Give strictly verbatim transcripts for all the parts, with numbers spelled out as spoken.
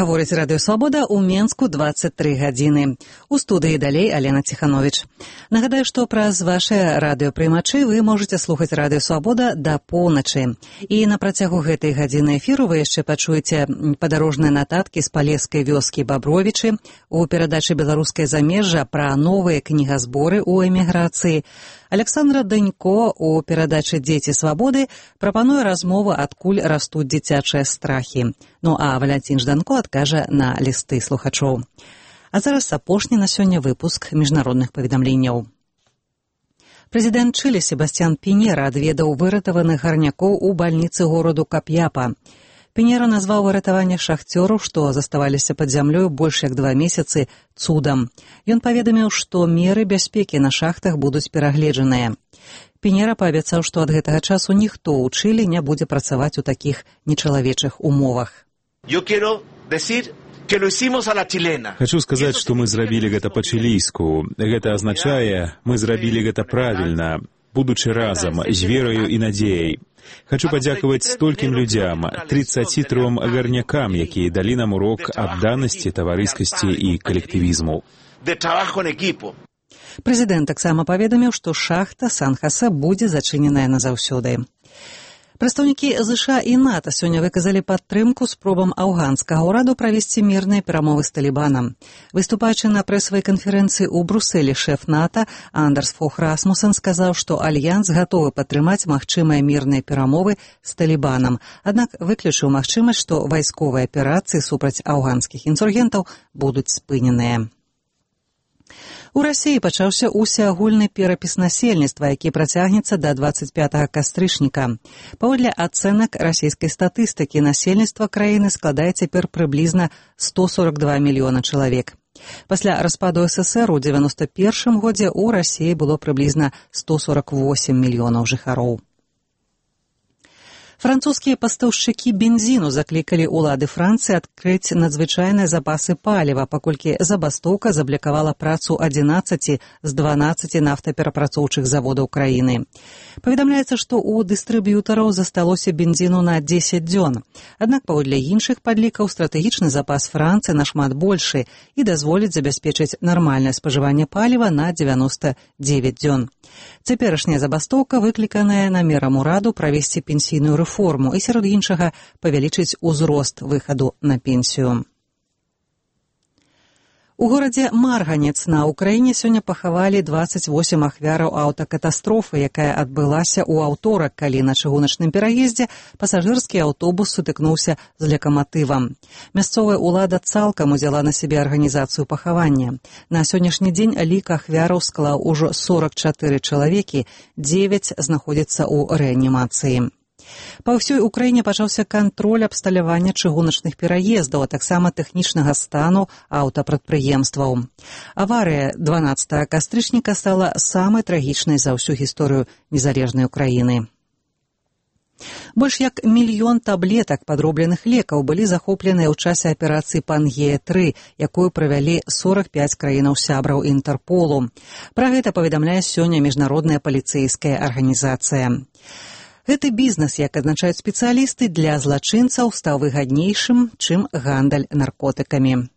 Гаворыць Радыё Свабода ў Менску дваццаць тры гадзіны. У студыі далей Алена Ціхановіч. Нагадаю, што праз вашыя радыёпрымачы вы можаце слухаць Радыё Свабода да поўначы. І на працягу гэтай гадзіны эфіру вы яшчэ пачуеце падарожныя нататкі з палескай вёскі Бабровічы, у перадачы «Беларускае замежжа» пра новыя кнігазборы ў эміграцыі. Александра Данько у перадачы «Дзеці свабоды» прапануе размову, адкуль растуць дзіцячыя страхі. Ну а Валянцін Жданко адкажа на лісты слухачоў. А зараз апошні на сёння выпуск міжнародных паведамленняў. Прэзідэнт Чылі Себасцьян Піньера адведаў выратаваных гарнякоў у бальніцы гораду Кап'япа. Піньера назваў выратаванне шахцёраў, што заставаліся пад зямлёю больш як два месяцы, цудам. Ён паведаміў, што меры бяспекі на шахтах будуць перагледжаныя. Піньера паабяцаў, што ад гэтага часу ніхто ў Чылі не будзе працаваць у такіх нечалавечых умовах. Хачу сказаць, што мы зрабілі гэта па-чылійску. Гэта азначае, мы зрабілі гэта правільна, будучы разам, з вераю і надзеяй. Хачу падзякаваць столькім людзям, трыццаці тром гарнякам, якія далі нам урок адданасці, таварыскасці і калектывізму. Прэзідэнт таксама паведаміў, што шахта Сан-Хосе будзе зачыненая назаўсёды. Прадстаўнікі ЗША і НАТО сёння выказалі падтрымку спробам афганскага ўраду правесці мірныя перамовы з Талібанам. Выступаючы на прэсавай канферэнцыі ў Брусэлі, шэф НАТО Андерс Фох Расмусен сказаў, што альянс гатовы падтрымаць магчымыя мірныя перамовы з Талібанам, аднак выключыў магчымасць, што вайсковыя аперацыі супраць афганскіх інсургентаў будуць спыненыя. У Расіі пачаўся усеагульны перапіс насельніцтва, які працягнецца да дваццаць пятага кастрычніка. Паводле ацэнак расійскай статыстыкі, насельніцтва краіны складае цяпер прыблізна сто сорок два мільёна чалавек. Пасля распаду СССР у дзевяноста першым годзе ў Расіі было прыблізна сто сорок восем мільёнаў жыхароў. Французскія пастаўшчыкі бензіну заклікалі ўлады Францыі адкрыць надзвычайныя запасы паліва, паколькі забастоўка заблакавала працу адзінаццаці з дванаццаці нафтаперапрацоўчых заводаў краіны. Паведамляецца, што ў дыстрыб'ютараў засталося бензіну на дзесяць дзён. Аднак паводле іншых падлікаў стратэгічны запас Францыі нашмат большы і дазволіць забяспечыць нармальнае спажыванне паліва на дзевяноста дзевяць дзён. Цяперашняя забастоўка выкліканая намерам ураду правесці пенсійную рэформу і, сярод іншага, павялічыць узрост выхаду на пенсію. У горадзе Марганец на Ўкраіне сёння пахавалі дваццаць восем ахвяраў аўтакатастрофы, якая адбылася ў аўторак, калі на чыгуначным пераездзе пасажырскі аўтобус сутыкнуўся з лакаматывам. Мясцовая ўлада цалкам узяла на сябе арганізацыю пахавання. На сённяшні дзень лік ахвяраў склаў ужо сорак чатыры чалавекі, дзевяць знаходзяцца ў рэанімацыі. Па ўсёй Украіне пачаўся кантроль абсталявання чыгуначных пераездаў, а таксама тэхнічнага стану аўтапрадпрыемстваў. Аварыя дванаццатага кастрычніка стала самай трагічнай за ўсю гісторыю незалежнай Украіны. Больш як мільён таблетак падробленых лекаў былі захопленыя ў часе аперацыі Пангея тры, якую правялі сорак пяць краінаў-сябраў Інтэрполу. Пра гэта паведамляе сёння міжнародная паліцэйская арганізацыя. Гэты бізнес, як адзначаюць спецыялісты, для злачынцаў стаў выгаднейшым, чым гандаль наркотыкамі.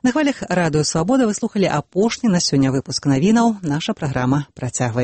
На хвалях Радыё Свабода вы слухалі апошні на сёння выпуск навінаў. Наша праграма працягваецца.